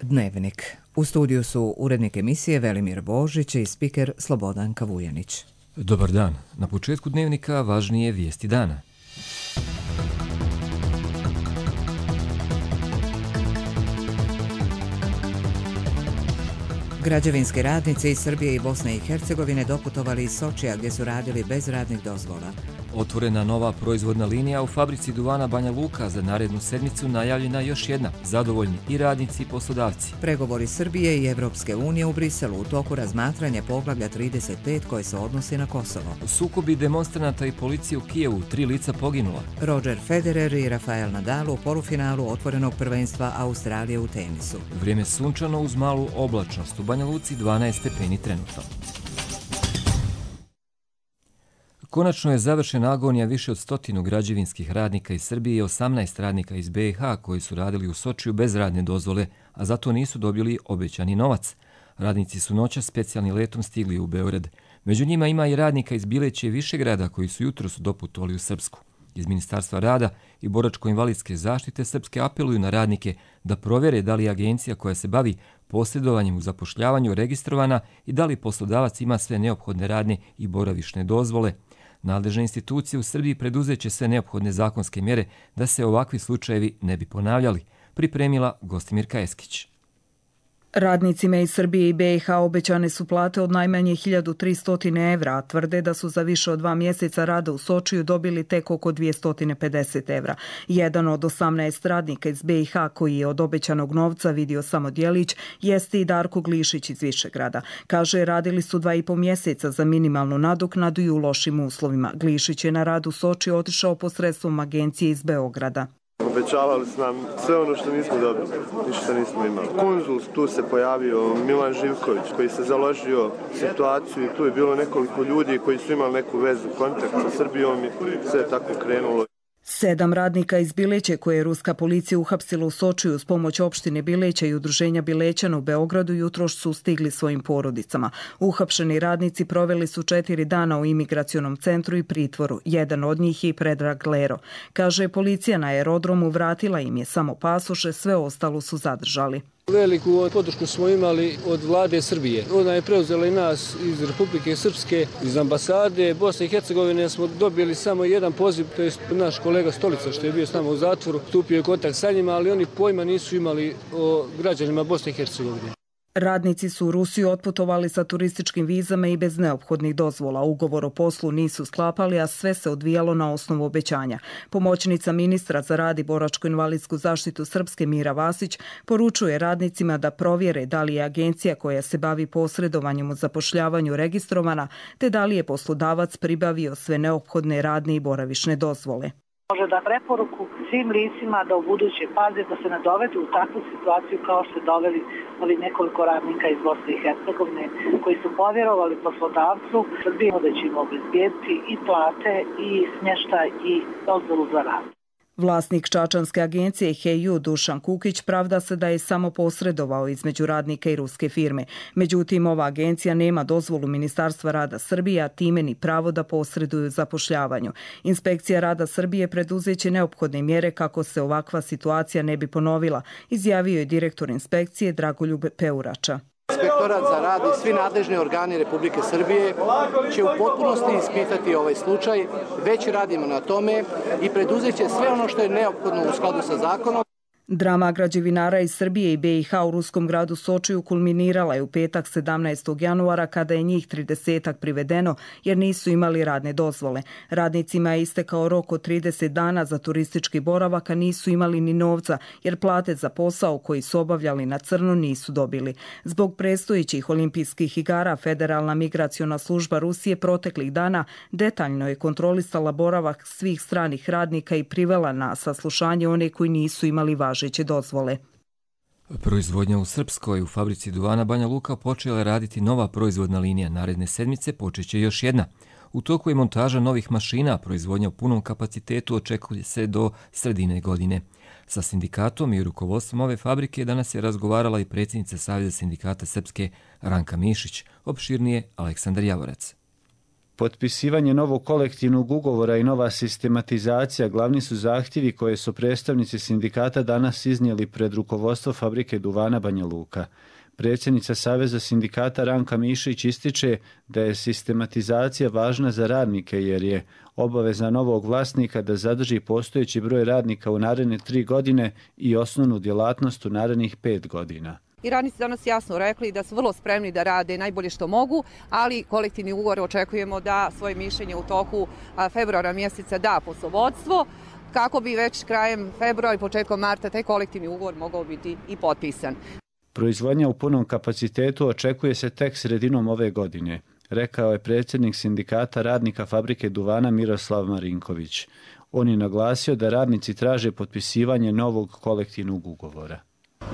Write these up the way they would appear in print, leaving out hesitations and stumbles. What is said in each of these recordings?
Dnevnik. U studiju su urednik emisije Velimir Božić i spiker Slobodanka Vujanić. Dobar dan. Na početku Dnevnika važnije vijesti dana. Građevinski radnici iz Srbije i Bosne i Hercegovine doputovali iz Sočija gdje su radili bez radnih dozvola. Otvorena nova proizvodna linija u fabrici duvana Banja Luka, za narednu sedmicu najavljena još jedna. Zadovoljni i radnici i poslodavci. Pregovori Srbije i Evropske unije u Briselu, u toku razmatranja poglavlja 35 koje se odnosi na Kosovo. Sukobi demonstranata i policije u Kijevu, 3 lica poginula. Roger Federer i Rafael Nadal u polufinalu otvorenog prvenstva Australije u tenisu. Vrijeme sunčano uz malu oblačnost, u Banja Luci 12 stepeni trenutno. Konačno je završena agonija više od 100 građevinskih radnika iz Srbije i 18 radnika iz BiH koji su radili u Sočiju bez radne dozvole, a zato nisu dobili obećani novac. Radnici su noćas specijalnim letom stigli u Beograd. Među njima ima i radnika iz Bileće i Višegrada koji su jutros doputovali u Srpsku. Iz Ministarstva rada i boračko-invalidske zaštite Srpske apeluju na radnike da provjere da li je agencija koja se bavi posredovanjem u zapošljavanju registrovana i da li poslodavac ima sve neophodne radne i boravišne dozvole. Nadležne institucije u Srbiji preduzeće sve neophodne zakonske mjere da se ovakvi slučajevi ne bi ponavljali, pripremila Gostimirka Eskić. Radnicima iz Srbije i BiH obećane su plate od najmanje 1300 evra, a tvrde da su za više od 2 mjeseca rada u Sočiju dobili tek oko 250 evra. Jedan od 18 radnika iz BiH koji je od obećanog novca vidio samo djelić jeste i Darko Glišić iz Višegrada. Kaže, radili su 2,5 mjeseca za minimalnu nadoknadu i u lošim uslovima. Glišić je na rad u Sočiju otišao posredstvom agencije iz Beograda. Obećavali su nam sve ono što nismo dobili, ništa nismo imali. Konzul, tu se pojavio Milan Živković koji se založio situaciju i tu je bilo nekoliko ljudi koji su imali neku vezu, kontakt sa Srbijom i sve je tako krenulo. 7 radnika iz Bileće koje je ruska policija uhapsila u Sočiju s pomoć opštine Bileća i udruženja Bilećana u Beogradu jutros su stigli svojim porodicama. Uhapšeni radnici proveli su 4 dana u imigracionom centru i pritvoru. Jedan od njih je i Predrag Lero. Kaže, policija na aerodromu vratila im je samo pasoše, sve ostalo su zadržali. Veliku podršku smo imali od vlade Srbije. Ona je preuzela i nas iz Republike Srpske, iz ambasade Bosne i Hercegovine. Smo dobili samo jedan poziv, to je naš kolega Stolica što je bio s nama u zatvoru. Stupio je kontakt sa njima, ali oni pojma nisu imali o građanima Bosne i Hercegovine. Radnici su u Rusiju otputovali sa turističkim vizama i bez neophodnih dozvola. Ugovor o poslu nisu sklapali, a sve se odvijalo na osnovu obećanja. Pomoćnica ministra za rad i boračko-invalidsku zaštitu Srpske Mira Vasić poručuje radnicima da provjere da li je agencija koja se bavi posredovanjem u zapošljavanju registrovana, te da li je poslodavac pribavio sve neophodne radne i boravišne dozvole. Može da preporuku svim licima da u buduće paze da se ne dovedu u takvu situaciju kao što se doveli ovi nekoliko radnika iz Bosne i Hercegovine koji su povjerovali poslodavcu Srbije da će im obezbijediti i plate i smještaj i dozvolu za rad. Vlasnik čačanske agencije HEU Dušan Kukić pravda se da je samo posredovao između radnika i ruske firme. Međutim, ova agencija nema dozvolu Ministarstva rada Srbije, a time ni pravo da posreduju zapošljavanju. Inspekcija rada Srbije preduzeće neophodne mjere kako se ovakva situacija ne bi ponovila, izjavio je direktor inspekcije Dragoljub Peurača. Inspektorat za rad i svi nadležni organi Republike Srbije će u potpunosti ispitati ovaj slučaj. Već radimo na tome i preduzeće sve ono što je neophodno u skladu sa zakonom. Drama građevinara iz Srbije i BiH u ruskom gradu Sočiju kulminirala je u petak 17. januara kada je njih 30 privedeno jer nisu imali radne dozvole. Radnicima je istekao rok od 30 dana za turistički boravak, a nisu imali ni novca jer plate za posao koji su obavljali na crno nisu dobili. Zbog predstojećih olimpijskih igara Federalna migraciona služba Rusije proteklih dana detaljno je kontrolisala boravak svih stranih radnika i privela na saslušanje one koji nisu imali važeće dozvole. Proizvodnja u Srpskoj u fabrici duvana Banja Luka počela je raditi nova proizvodna linija. Naredne sedmice počeće još jedna. U toku je montaža novih mašina, proizvodnja u punom kapacitetu očekuje se do sredine godine. Sa sindikatom i rukovodstvom ove fabrike danas je razgovarala i predsjednica Saveza sindikata Srpske Ranka Mišić, opširnije Aleksandar Javorac. Potpisivanje novog kolektivnog ugovora i nova sistematizacija glavni su zahtjevi koje su predstavnici sindikata danas iznijeli pred rukovodstvo fabrike duvana Banja Luka. Predsjednica Saveza sindikata Ranka Mišić ističe da je sistematizacija važna za radnike jer je obaveza novog vlasnika da zadrži postojeći broj radnika u naredne 3 godine i osnovnu djelatnost u narednih 5 godina. I radnici danas jasno rekli da su vrlo spremni da rade najbolje što mogu, ali kolektivni ugovor očekujemo da svoje mišljenje u toku februara mjeseca da poslovodstvo, kako bi već krajem februara i početkom marta taj kolektivni ugovor mogao biti i potpisan. Proizvodnja u punom kapacitetu očekuje se tek sredinom ove godine, rekao je predsjednik sindikata radnika fabrike duvana Miroslav Marinković. On je naglasio da radnici traže potpisivanje novog kolektivnog ugovora.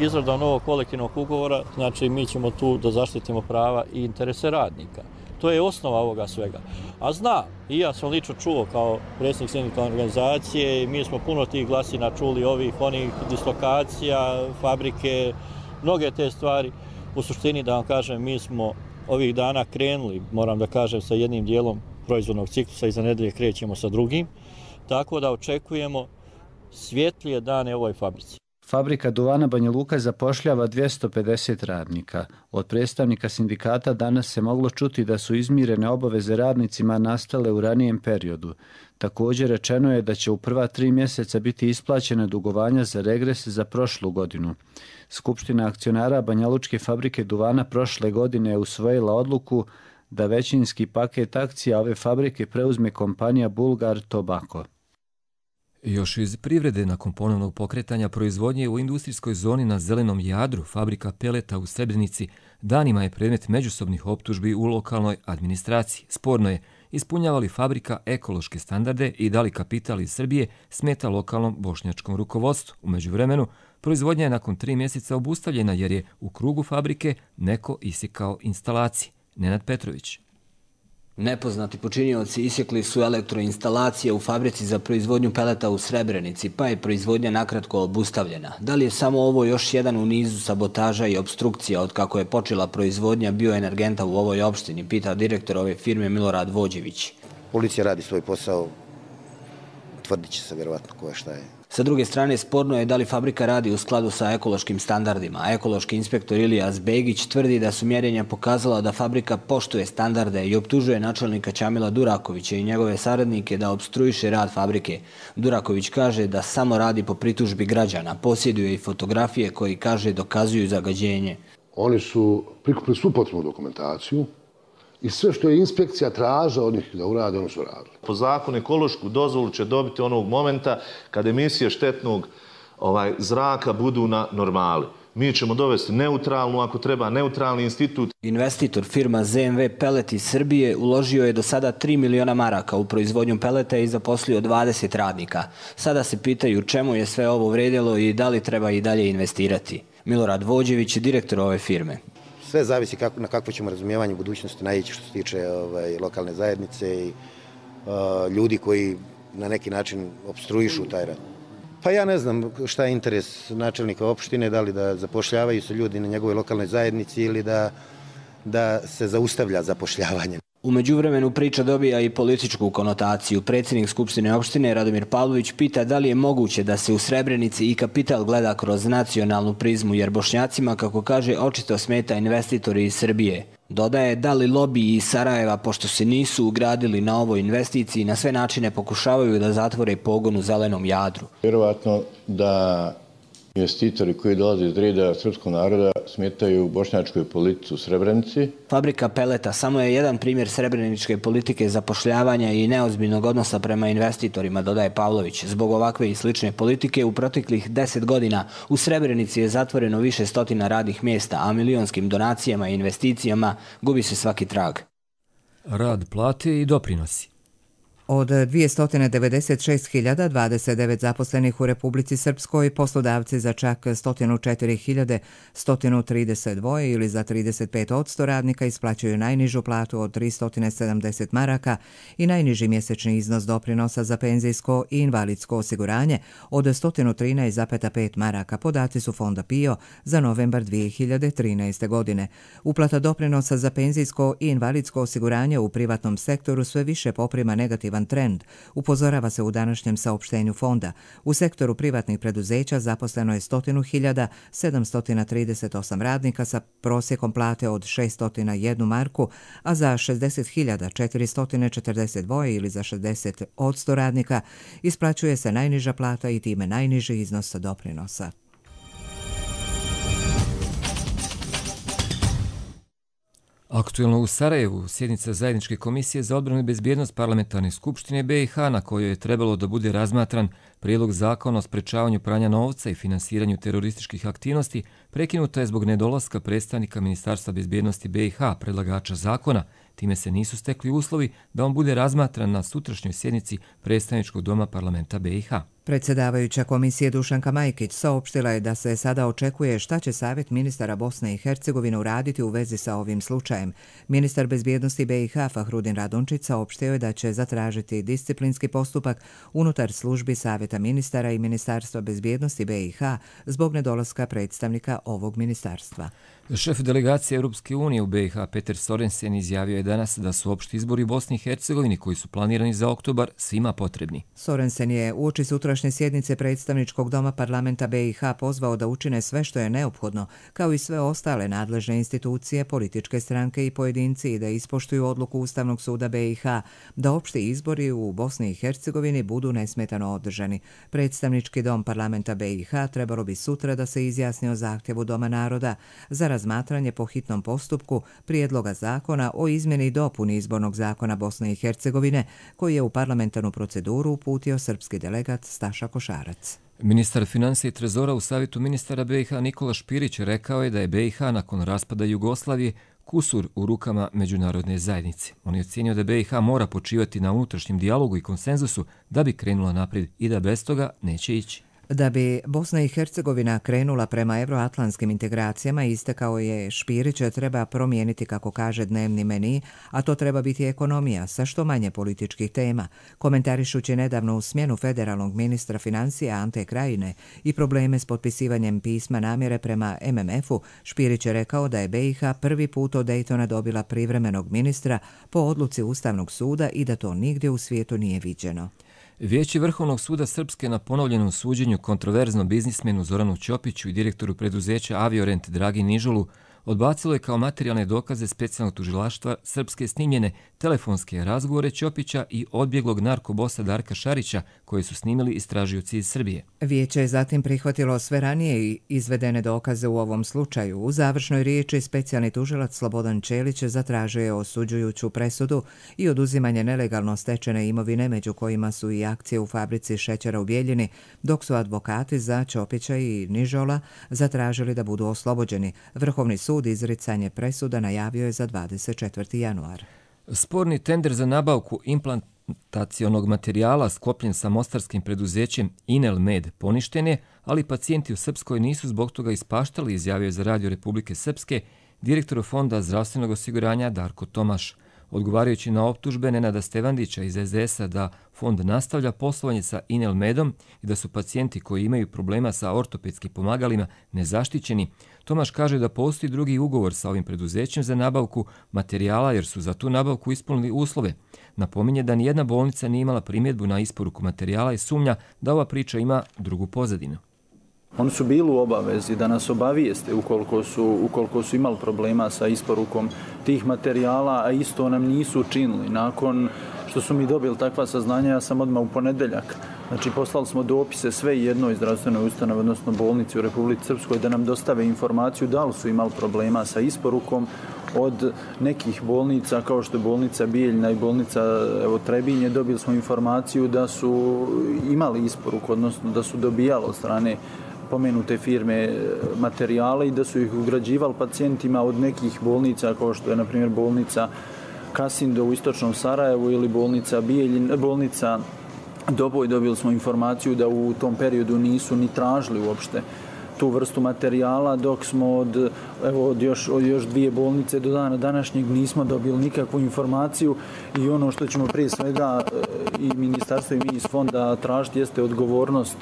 Izrada novog kolektivnog ugovora, znači mi ćemo tu da zaštitimo prava i interese radnika. To je osnova ovoga svega. A znam, i ja sam lično čuo kao predsjednik sindikalne organizacije, mi smo puno tih glasina čuli, ovih, onih dislokacija, fabrike, mnoge te stvari. U suštini, da vam kažem, mi smo ovih dana krenuli, moram da kažem, sa jednim dijelom proizvodnog ciklusa i za nedelje krećemo sa drugim, tako da očekujemo svjetlije dane ovoj fabrici. Fabrika duvana Banja Luka zapošljava 250 radnika. Od predstavnika sindikata danas se moglo čuti da su izmirene obaveze radnicima nastale u ranijem periodu. Također rečeno je da će u prva 3 mjeseca biti isplaćena dugovanja za regres za prošlu godinu. Skupština akcionara Banjalučke fabrike duvana prošle godine je usvojila odluku da većinski paket akcija ove fabrike preuzme kompanija Bulgar Tobacco. Još iz privrede nakon ponovnog pokretanja proizvodnje u industrijskoj zoni na Zelenom Jadru, fabrika peleta u Srebrenici danima je predmet međusobnih optužbi u lokalnoj administraciji. Sporno je ispunjava li fabrika ekološke standarde i da li kapital iz Srbije smeta lokalnom bošnjačkom rukovodstvu. U međuvremenu, proizvodnja je nakon 3 mjeseca obustavljena jer je u krugu fabrike neko isekao instalacije. Nenad Petrović. Nepoznati počinioci isjekli su elektroinstalacije u fabrici za proizvodnju peleta u Srebrenici, pa je proizvodnja nakratko obustavljena. Da li je samo ovo još jedan u nizu sabotaža i obstrukcija od kako je počela proizvodnja bioenergenta u ovoj opštini, pita direktor ove firme Milorad Vođević. Policija radi svoj posao, tvrdit će se vjerovatno ko je šta je. Sa druge strane, sporno je da li fabrika radi u skladu sa ekološkim standardima. Ekološki inspektor Ilijas Begić tvrdi da su mjerenja pokazala da fabrika poštuje standarde i optužuje načelnika Ćamila Durakovića i njegove saradnike da opstruiše rad fabrike. Duraković kaže da samo radi po pritužbi građana, posjeduje i fotografije koji, kaže, dokazuju zagađenje. Oni su prikupili svu potrebnu dokumentaciju i sve što je inspekcija tražila od njih da urade, oni su radili. Po zakonu ekološku dozvolu će dobiti onog momenta kad emisije štetnog zraka budu na normali. Mi ćemo dovesti neutralnu, ako treba, neutralni institut. Investitor firma ZMV Pelet iz Srbije uložio je do sada 3 miliona maraka u proizvodnju peleta i zaposlio 20 radnika. Sada se pitaju čemu je sve ovo vredilo i da li treba i dalje investirati. Milorad Vođević, direktor ove firme. Sve zavisi na kakvo ćemo razumijevanje budućnosti naići što se tiče lokalne zajednice i ljudi koji na neki način opstruišu taj rad. Pa ja ne znam šta je interes načelnika opštine, da li da zapošljavaju se ljudi na njegovoj lokalnoj zajednici ili da se zaustavlja zapošljavanje. U međuvremenu priča dobija i političku konotaciju. Predsjednik Skupštine opštine Radomir Pavlović pita da li je moguće da se u Srebrenici i kapital gleda kroz nacionalnu prizmu, jer Bošnjacima, kako kaže, očito smeta investitori iz Srbije. Dodaje da li lobiji iz Sarajeva, pošto se nisu ugradili na ovoj investiciji, na sve načine pokušavaju da zatvore pogon u Zelenom Jadru. Vjerovatno da investitori koji dolaze iz reda srpskog naroda smetaju bošnjačkoj politici u Srebrenici. Fabrika peleta samo je jedan primjer srebreničke politike zapošljavanja i neozbiljnog odnosa prema investitorima, dodaje Pavlović. Zbog ovakve i slične politike u proteklih 10 godina u Srebrenici je zatvoreno više stotina radnih mjesta, a milionskim donacijama i investicijama gubi se svaki trag. Rad, plate i doprinosi. Od 296.029 zaposlenih u Republici Srpskoj, poslodavci za čak 104.132 ili za 35% radnika isplaćuju najnižu platu od 370 maraka i najniži mjesečni iznos doprinosa za penzijsko i invalidsko osiguranje od 113,5 maraka. Podaci su Fonda PIO za novembar 2013. godine. Uplata doprinosa za penzijsko i invalidsko osiguranje u privatnom sektoru sve više poprima negativan trend, upozorava se u današnjem saopštenju fonda. U sektoru privatnih preduzeća zaposleno je 100.738 radnika sa prosjekom plate od 601 marku, a za 60.442 ili za 60% radnika isplaćuje se najniža plata i time najniži iznos doprinosa. Aktuelno u Sarajevu, sjednica Zajedničke komisije za odbranu i bezbjednost Parlamentarne skupštine BiH, na kojoj je trebalo da bude razmatran prijedlog zakona o sprečavanju pranja novca i finansiranju terorističkih aktivnosti, prekinuta je zbog nedolaska predstavnika Ministarstva bezbjednosti BiH, predlagača zakona. Time se nisu stekli uslovi da on bude razmatran na sutrašnjoj sjednici Predstavničkog doma parlamenta BiH. Predsjedavajuća komisije Dušanka Majkić saopštila je da se sada očekuje šta će Savjet ministara Bosne i Hercegovine uraditi u vezi sa ovim slučajem. Ministar bezbjednosti BiH Fahrudin Radončić saopštio je da će zatražiti disciplinski postupak unutar službi Savjeta ministara i Ministarstva bezbjednosti BiH zbog nedolaska predstavnika ovog ministarstva. Šef delegacije Europske unije u BiH Peter Sorensen izjavio je danas da su opšti izbori u Bosni i Hercegovini koji su planirani za oktobar svima potrebni. Sorensen je uoči sutrašnje sjednice Predstavničkog doma parlamenta BiH pozvao da učine sve što je neophodno, kao i sve ostale nadležne institucije, političke stranke i pojedinci, i da ispoštuju odluku Ustavnog suda BiH da opšti izbori u Bosni i Hercegovini budu nesmetano održani. Predstavnički dom parlamenta BiH trebalo bi sutra da se izjasni o zahtjevu Doma naroda za razmatranje po hitnom postupku prijedloga zakona o izmjeni i dopuni izbornog zakona Bosne i Hercegovine, koji je u parlamentarnu proceduru uputio srpski delegat Staša Košarac. Ministar financija i trezora u Savjetu ministara BiH Nikola Špirić rekao je da je BiH nakon raspada Jugoslavije kusur u rukama međunarodne zajednice. On je ocenio da BiH mora počivati na unutrašnjem dijalogu i konsenzusu da bi krenula naprijed i da bez toga neće ići. Da bi Bosna i Hercegovina krenula prema euroatlantskim integracijama, istakao je Špirić, treba promijeniti, kako kaže, dnevni meni, a to treba biti ekonomija sa što manje političkih tema. Komentarišući nedavno u smjenu federalnog ministra financija Ante Krajine i probleme s potpisivanjem pisma namjere prema MMF-u, Špirić je rekao da je BiH prvi put od Daytona dobila privremenog ministra po odluci Ustavnog suda i da to nigdje u svijetu nije viđeno. Vijeće Vrhovnog suda Srpske na ponovljenom suđenju kontroverznom biznismenu Zoranu Ćopiću i direktoru preduzeća Aviorent Dragi Nižolu odbacilo je kao materijalne dokaze specijalnog tužilaštva Srpske snimljene telefonske razgovore Ćopića i odbjeglog narkobosa Darka Šarića, koje su snimili istražioci iz Srbije. Vijeće je zatim prihvatilo sve ranije izvedene dokaze u ovom slučaju. U završnoj riječi specijalni tužilac Slobodan Čelić zatražio je osuđujuću presudu i oduzimanje nelegalno stečene imovine, među kojima su i akcije u fabrici šećera u Bijeljini, dok su advokati za Ćopića i Nižola zatražili da budu oslobođeni. Vrhovni sud izricanje presuda najavio je za 24. januar. Sporni tender za nabavku implantacionog materijala sklopljen sa mostarskim preduzećem Inelmed poništen je, ali pacijenti u Srpskoj nisu zbog toga ispaštali, izjavio je za Radio Republike Srpske direktor Fonda zdravstvenog osiguranja Darko Tomaš. Odgovarajući na optužbe Nenada Stevandića iz SDS-a da fond nastavlja poslovanje sa Inelmedom i da su pacijenti koji imaju problema sa ortopedskim pomagalima nezaštićeni, Tomaš kaže da postoji drugi ugovor sa ovim preduzećem za nabavku materijala jer su za tu nabavku ispunili uslove. Napominje da nijedna bolnica nije imala primjedbu na isporuku materijala i sumnja da ova priča ima drugu pozadinu. Oni su bili u obavezi da nas obavijeste ukoliko su imali problema sa isporukom tih materijala, a isto nam nisu učinili. Nakon što su mi dobili takva saznanja, ja sam odmah u ponedeljak. Znači, poslali smo dopise sve jednoj zdravstvenoj ustanovi, odnosno bolnici u Republici Srpskoj, da nam dostave informaciju da li su imali problema sa isporukom. Od nekih bolnica, kao što je bolnica Bijeljina i bolnica Trebinje, dobili smo informaciju da su imali isporuku, odnosno da su dobijali od strane pomenute firme materijale i da su ih ugrađivali pacijentima od nekih bolnica, kao što je, na primjer, bolnica Kasindo u istočnom Sarajevu ili bolnica Doboj. Dobili smo informaciju da u tom periodu nisu ni tražili uopšte tu vrstu materijala, dok smo od još dvije bolnice do dana današnjeg nismo dobili nikakvu informaciju i ono što ćemo prije svega i ministarstvo i mi iz fonda tražiti jeste odgovornost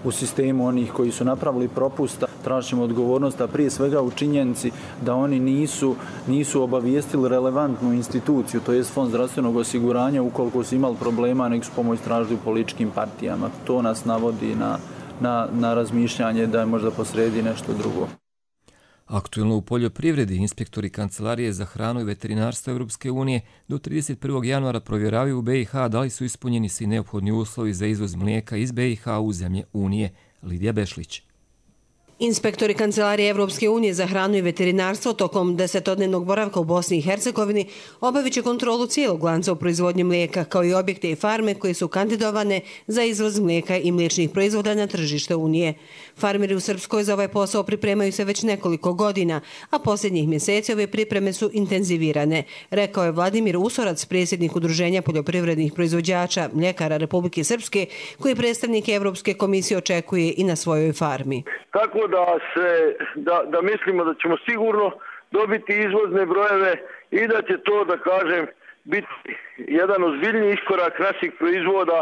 u sistemu onih koji su napravili propusta. Tražit ćemo odgovornost, a prije svega u činjenici da oni nisu obavijestili relevantnu instituciju, to je Fond zdravstvenog osiguranja, ukoliko su imali problema, nek su pomoć tražili u političkim partijama. To nas navodi na razmišljanje da je možda posredi nešto drugo. Aktuelno u poljoprivredi inspektori Kancelarije za hranu i veterinarstvo Evropske unije do 31. januara provjeravaju u BiH da li su ispunjeni svi neophodni uslovi za izvoz mlijeka iz BiH u zemlje Unije. Lidija Bešlić. Inspektori Kancelarije Evropske unije za hranu i veterinarstvo tokom 10-dnevnog boravka u Bosni i Hercegovini obavit će kontrolu cijelog lanca u proizvodnji mlijeka, kao i objekte i farme koje su kandidovane za izvoz mlijeka i mliječnih proizvoda na tržište Unije. Farmeri u Srpskoj za ovaj posao pripremaju se već nekoliko godina, a posljednjih mjeseci ove pripreme su intenzivirane, rekao je Vladimir Usorac, predsjednik Udruženja poljoprivrednih proizvođača mljekara Republike Srpske, koji predstavnik Evropske komisije očekuje i na svojoj farmi. Tako da mislimo da ćemo sigurno dobiti izvozne brojeve i da će to, da kažem, biti jedan ozbiljni iskorak naših proizvoda,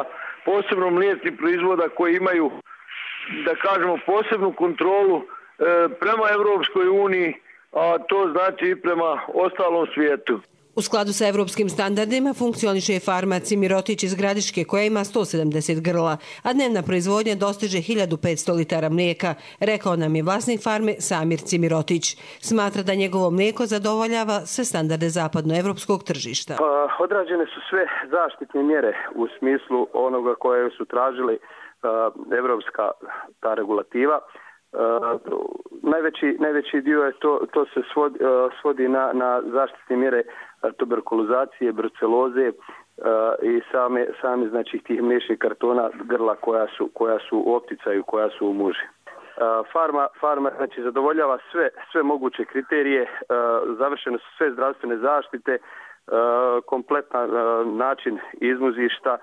posebno mliječnih proizvoda koji imaju, da kažemo, posebnu kontrolu prema Evropskoj uniji, a to znači i prema ostalom svijetu. U skladu sa evropskim standardima funkcioniše farma Cimirotić iz Gradiške koja ima 170 grla, a dnevna proizvodnja dostiže 1500 litara mlijeka, rekao nam je vlasnik farme Samir Cimirotić. Smatra da njegovo mlijeko zadovoljava sve standarde zapadnoevropskog tržišta. Odrađene su sve zaštitne mjere u smislu onoga koje su tražili evropska ta regulativa. Najveći dio je to se svodi na zaštitne mjere tuberkulozacije, bruceloze i same znači tih mliječnih kartona grla koja su u opticaju, koja su u muži. Farma znači zadovoljava sve moguće kriterije, završene su sve zdravstvene zaštite, kompletan način izmuzišta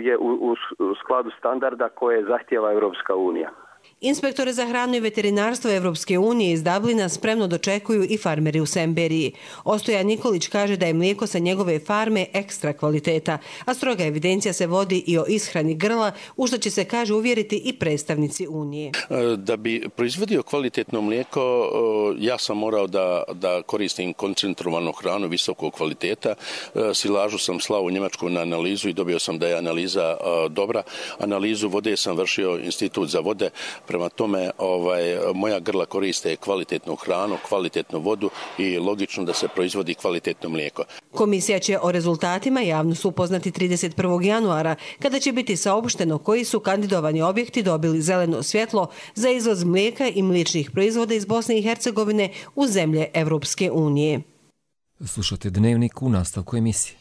je u skladu standarda koje zahtijeva Evropska unija. Inspektore za hranu i veterinarstvo Evropske unije iz Dublina spremno dočekuju i farmeri u Semberiji. Ostojan Nikolić kaže da je mlijeko sa njegove farme ekstra kvaliteta, a stroga evidencija se vodi i o ishrani grla, u što će se, kaže, uvjeriti i predstavnici Unije. Da bi proizvodio kvalitetno mlijeko, ja sam morao da koristim koncentrovanu hranu visokog kvaliteta. Silažu sam slao u Njemačku na analizu i dobio sam da je analiza dobra. Analizu vode sam vršio Institut za vode. Prema tome, moja grla koriste kvalitetnu hranu, kvalitetnu vodu i logično da se proizvodi kvalitetno mlijeko. Komisija će o rezultatima javnost upoznati 31. januara, kada će biti saopšteno koji su kandidovani objekti dobili zeleno svjetlo za izvoz mlijeka i mliječnih proizvoda iz Bosne i Hercegovine u zemlje Evropske unije. Slušate Dnevnik u nastavku emisije.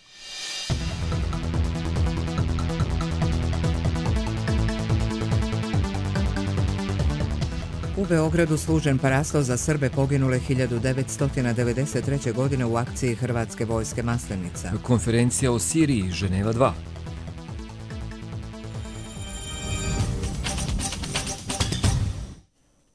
U Beogradu služen parasto za Srbe poginule 1993. godine u akciji Hrvatske vojske Maslenica. Konferencija o Siriji, Ženeva 2.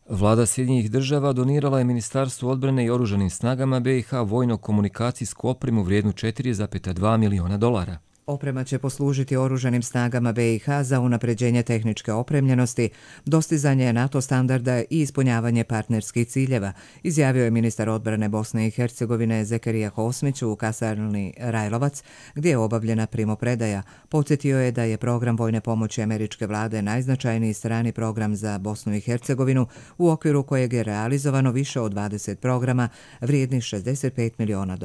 Vlada Sjedinjenih država donirala je Ministarstvu odbrane i oružanim snagama BiH vojno-komunikacijsku opremu vrijednu $4,2 miliona. Oprema će poslužiti oružanim snagama BiH za unapređenje tehničke opremljenosti, dostizanje NATO standarda i ispunjavanje partnerskih ciljeva, izjavio je ministar odbrane Bosne i Hercegovine Zekarija Hosmić u kasarni Rajlovac, gdje je obavljena primopredaja. Podsjetio je da je program vojne pomoći američke vlade najznačajniji strani program za Bosnu i Hercegovinu, u okviru kojeg je realizovano više od 20 programa vrijednih $65 miliona.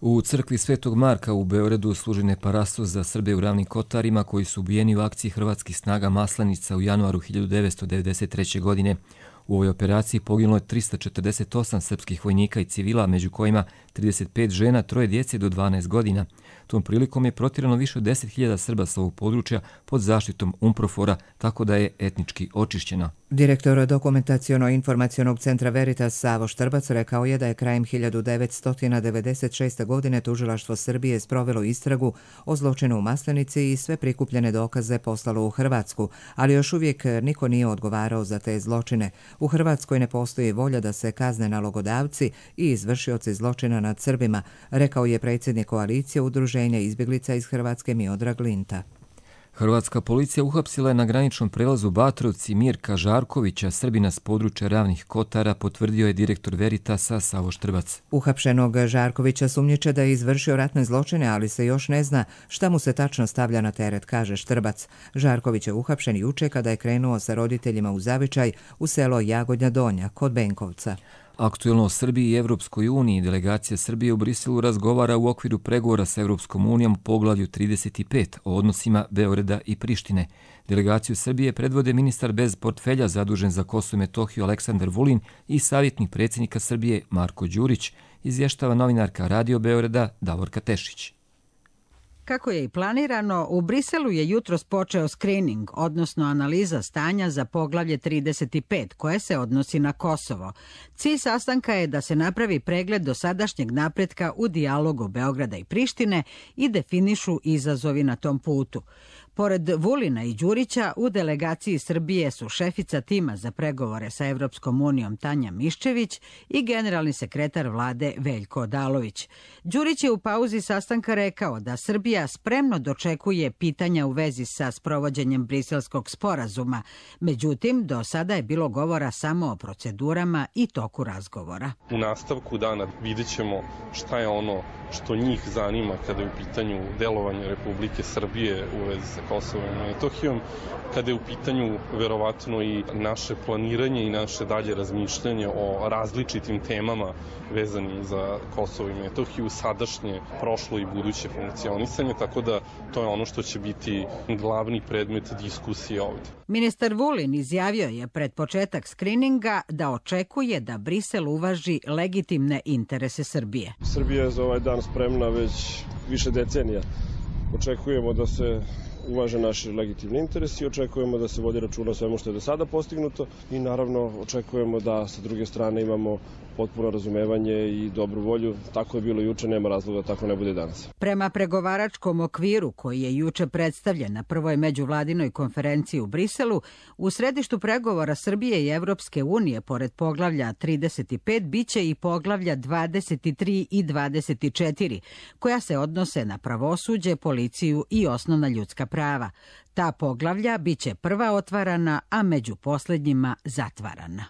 U crkvi Svetog Marka u Beogradu služen je parasto za Srbe u Ravnim Kotarima koji su ubijeni u akciji hrvatskih snaga Maslenica u januaru 1993. godine. U ovoj operaciji poginulo je 348 srpskih vojnika i civila, među kojima 35 žena, 3 djece do 12 godina. Tom prilikom je protjerano više od 10.000 Srba sa ovog područja pod zaštitom UNPROFOR-a, tako da je etnički očišćena. Direktor dokumentaciono-informacionog centra Veritas Savo Štrbac rekao je da je krajem 1996. godine tužilaštvo Srbije sprovelo istragu o zločinu u Maslenici i sve prikupljene dokaze poslalo u Hrvatsku, ali još uvijek niko nije odgovarao za te zločine. U Hrvatskoj ne postoji volja da se kazne nalogodavci i izvršioci zločina nad Srbima, rekao je predsjednik koalicije Udruženja izbjeglica iz Hrvatske Miodrag Linta. Hrvatska policija uhapsila je na graničnom prelazu Batrovci Mirka Žarkovića, Srbina s područja Ravnih Kotara, potvrdio je direktor Veritasa Savo Štrbac. Uhapšenog Žarkovića sumnjiče da je izvršio ratne zločine, ali se još ne zna šta mu se tačno stavlja na teret, kaže Štrbac. Žarković je uhapšen juče kada je krenuo sa roditeljima u zavičaj u selo Jagodnja Donja kod Benkovca. Aktuelno o Srbiji i Evropskoj uniji, delegacija Srbije u Briselu razgovara u okviru pregovora sa Evropskom unijom u poglavlju 35 o odnosima Beograda i Prištine. Delegaciju Srbije predvode ministar bez portfelja zadužen za Kosovo i Metohiju Aleksandar Vulin i savjetnik predsjednika Srbije Marko Đurić, izvještava novinarka Radio Beograda Davorka Tešić. Kako je i planirano, u Briselu je jutros počeo skrining, odnosno analiza stanja za poglavlje 35, koje se odnosi na Kosovo. Cilj sastanka je da se napravi pregled dosadašnjeg napretka u dijalogu Beograda i Prištine i definišu izazovi na tom putu. Pored Vulina i Đurića, u delegaciji Srbije su šefica tima za pregovore sa Evropskom unijom Tanja Miščević i generalni sekretar vlade Veljko Odalović. Đurić je u pauzi sastanka rekao da Srbija spremno dočekuje pitanja u vezi sa sprovođenjem briselskog sporazuma. Međutim, do sada je bilo govora samo o procedurama i toku razgovora. U nastavku dana vidjet ćemo šta je ono što njih zanima kada je u pitanju delovanje Republike Srbije u vezi sa Kosovom i Metohijom, kada je u pitanju verovatno i naše planiranje i naše dalje razmišljanje o različitim temama vezani za Kosovo i Metohiju, sadašnje, prošlo i buduće funkcionisanje, tako da to je ono što će biti glavni predmet diskusije ovdje. Ministar Vulin izjavio je pred početak skrininga da očekuje da Brisel uvaži legitimne interese Srbije. Srbija je za ovaj dan spremna već više decenija. Očekujemo da se uvaže naši legitimni interesi i očekujemo da se vodi računa o svemu što je do sada postignuto i naravno očekujemo da sa druge strane imamo potpuno razumevanje i dobru volju. Tako je bilo juče, nema razloga da tako ne bude danas. Prema pregovaračkom okviru koji je juče predstavljen na prvoj međuvladinoj konferenciji u Briselu, u središtu pregovora Srbije i Evropske unije pored poglavlja 35 biće i poglavlja 23 i 24, koja se odnose na pravosuđe, policiju i osnovna ljudska prava. Ta poglavlja biće prva otvarana, a među posljednjima zatvarana.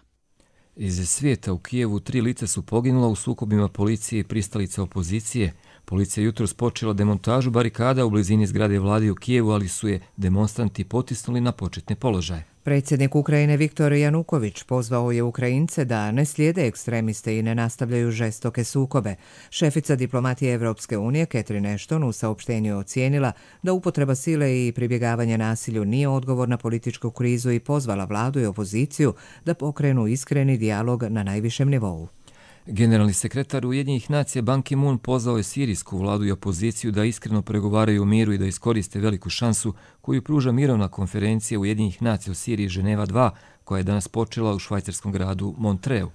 Iz svijeta u Kijevu 3 lica su poginula u sukobima policije i pristalica opozicije. Policija jutros počela demontažu barikada u blizini zgrade vlade u Kijevu, ali su je demonstranti potisnuli na početne položaje. Predsjednik Ukrajine Viktor Januković pozvao je Ukrajince da ne slijede ekstremiste i ne nastavljaju žestoke sukobe. Šefica diplomatije Evropske unije Catherine Ashton u saopštenju je ocijenila da upotreba sile i pribjegavanje nasilju nije odgovor na političku krizu i pozvala vladu i opoziciju da pokrenu iskreni dijalog na najvišem nivou. Generalni sekretar Ujedinjenih nacija Ban Ki-moon pozvao je sirijsku vladu i opoziciju da iskreno pregovaraju o miru i da iskoriste veliku šansu koju pruža mirovna konferencija Ujedinjenih nacija u Siriji Ženeva 2, koja je danas počela u švajcarskom gradu Montreu.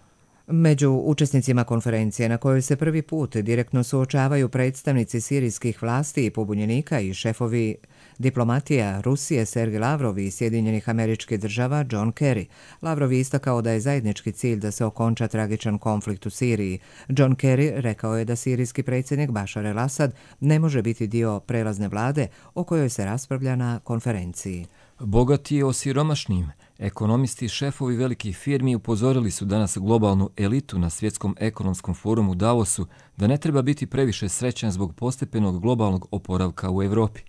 Među učesnicima konferencije na kojoj se prvi put direktno suočavaju predstavnici sirijskih vlasti i pobunjenika i šefovi diplomatija Rusije Sergej Lavrov i Sjedinjenih Američkih Država John Kerry. Lavrov je istakao da je zajednički cilj da se okonča tragičan konflikt u Siriji. John Kerry rekao je da sirijski predsjednik Bashar el-Assad ne može biti dio prelazne vlade o kojoj se raspravlja na konferenciji. Bogati je osiromašnim. Ekonomisti i šefovi velikih firmi upozorili su danas globalnu elitu na svjetskom ekonomskom forumu Davosu da ne treba biti previše srećan zbog postepenog globalnog oporavka u Evropi.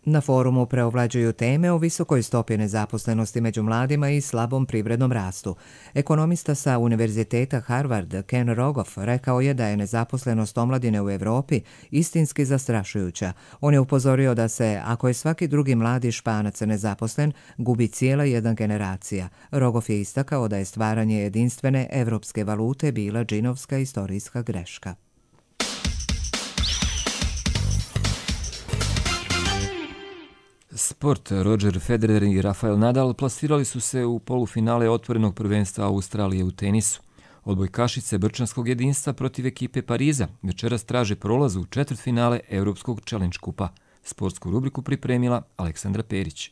Na forumu preovlađuju teme o visokoj stopi nezaposlenosti među mladima i slabom privrednom rastu. Ekonomista sa Univerziteta Harvard Ken Rogoff rekao je da je nezaposlenost omladine u Evropi istinski zastrašujuća. On je upozorio da se, ako je svaki drugi mladi Španac nezaposlen, gubi cijela jedna generacija. Rogoff je istakao da je stvaranje jedinstvene evropske valute bila džinovska istorijska greška. Sport. Roger Federer i Rafael Nadal plasirali su se u polufinale otvorenog prvenstva Australije u tenisu. Odbojkašice brčanskog jedinstva protiv ekipe Pariza večeras traže prolaz u četvrtfinale Europskog Challenge kupa. Sportsku rubriku pripremila Aleksandra Perić.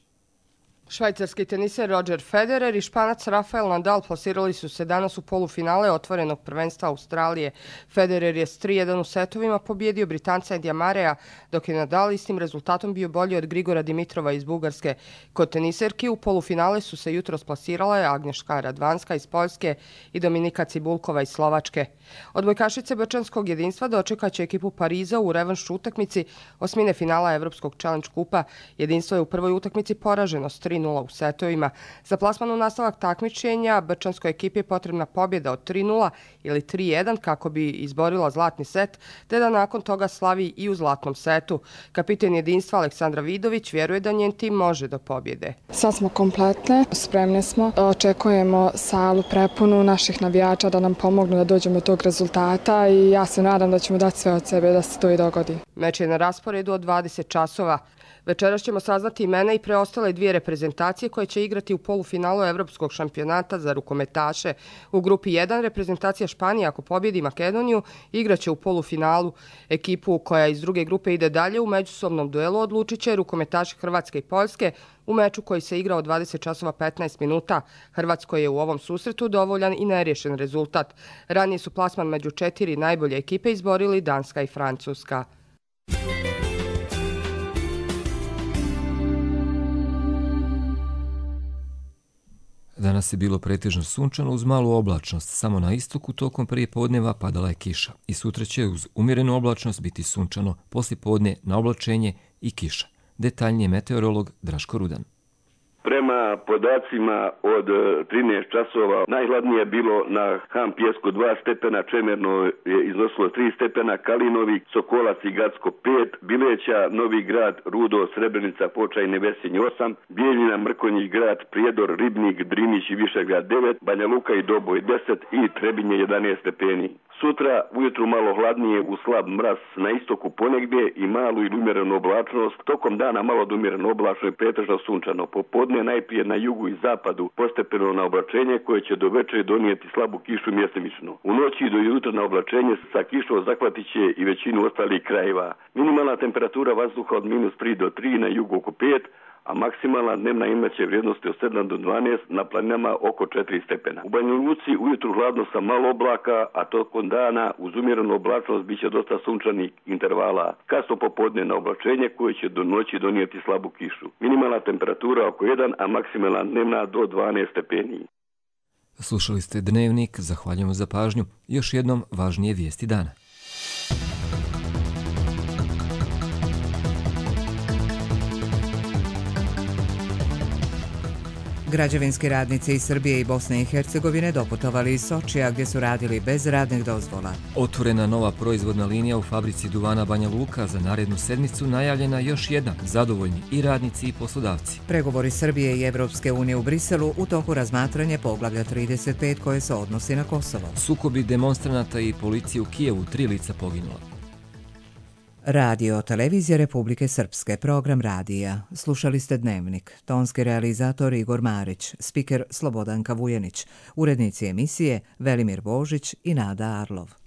Švajcarski teniser Roger Federer i Španac Rafael Nadal plasirali su se danas u polufinale otvorenog prvenstva Australije. Federer je s 3-1 u setovima pobjedio Britanca Edija Mareja, dok je Nadal istim rezultatom bio bolji od Grigora Dimitrova iz Bugarske. Kod teniserki u polufinale su se jutros plasirale Agnješka Radvanska iz Poljske i Dominika Cibulkova iz Slovačke. Odbojkašice brčanskog jedinstva dočekaće ekipu Pariza u revanš utakmici osmine finala Evropskog Challenge kupa. Jedinstvo je u prvoj utakmici poraženo s 3-0 u setovima. Za plasman u nastavak takmičenja brčanskoj ekipi je potrebna pobjeda od 3-0 ili 3-1 kako bi izborila zlatni set, te da nakon toga slavi i u zlatnom setu. Kapiten jedinstva Aleksandra Vidović vjeruje da njen tim može do pobjede. Sad smo kompletne, spremne smo, očekujemo salu prepunu naših navijača da nam pomognu da dođemo do tog rezultata i ja se nadam da ćemo dati sve od sebe da se to i dogodi. Meč je na rasporedu od 20 časova. Večeras ćemo saznati imena i preostale dvije reprezentacije koje će igrati u polufinalu Evropskog šampionata za rukometaše. U grupi 1 reprezentacija Španije, ako pobjedi Makedoniju, igraće u polufinalu. Ekipu koja iz druge grupe ide dalje u međusobnom duelu odlučit će rukometaši Hrvatske i Poljske u meču koji se igra od 20 časova 15 minuta. Hrvatskoj je u ovom susretu dovoljan i neriješen rezultat. Ranije su plasman među 4 najbolje ekipe izborili Danska i Francuska. Danas je bilo pretežno sunčano uz malu oblačnost. Samo na istoku tokom prije podneva padala je kiša. I sutra će uz umjerenu oblačnost biti sunčano, poslije podne na oblačenje i kiša. Detaljnije meteorolog Draško Rudan. Prema podacima od 13 časova najhladnije je bilo na Han Pjesku 2 stepena, Čemerno je iznosilo 3 stepena, Kalinovi, Sokolac i Gacko 5, Bileća, Novi Grad, Rudo, Srebrenica, Počajne, Vesinj 8, Bijeljina, Mrkonjić Grad, Prijedor, Ribnik, Drinić i Višegrad 9, Banja Luka i Doboj 10 i Trebinje 11 stepeni. Sutra ujutru malo hladnije u slab mraz na istoku ponegdje i malu ili umjerenu oblačnost. Tokom dana malo od umjereno oblačno i pretežno sunčano. Popodne najprije na jugu i zapadu postepeno na oblačenje koje će do večeri donijeti slabu kišu mjestimično. U noći do jutra na oblačenje sa kišom zahvatit će i većinu ostalih krajeva. Minimalna temperatura vazduha od -3 do 3, na jugu oko 5, a maksimalna dnevna imaće vrijednosti od 7 do 12, na planinama oko 4 stepena. U Banja Luci ujutru hladno sa malo oblaka, a tokom dana uz umjerenu oblačnost bit će dosta sunčanih intervala. Kasno popodne na oblačenje koje će do noći donijeti slabu kišu. Minimalna temperatura oko 1, a maksimalna dnevna do 12 stepeni. Slušali ste Dnevnik, zahvaljujemo za pažnju. Još jednom važnije vijesti dana. Građevinski radnici iz Srbije i Bosne i Hercegovine doputovali iz Sočija gdje su radili bez radnih dozvola. Otvorena nova proizvodna linija u fabrici duvana Banja Luka, za narednu sedmicu najavljena još jedna, zadovoljni i radnici i poslodavci. Pregovori Srbije i Evropske unije u Briselu u toku razmatranje poglavlja 35 koje se odnosi na Kosovo. Sukobi demonstranata i policije u Kijevu, 3 lica poginula. Radio Televizija Republike Srpske, program radija. Slušali ste Dnevnik. Tonski realizator Igor Marić, spiker Slobodanka Vujenić, urednici emisije Velimir Božić i Nada Arlov.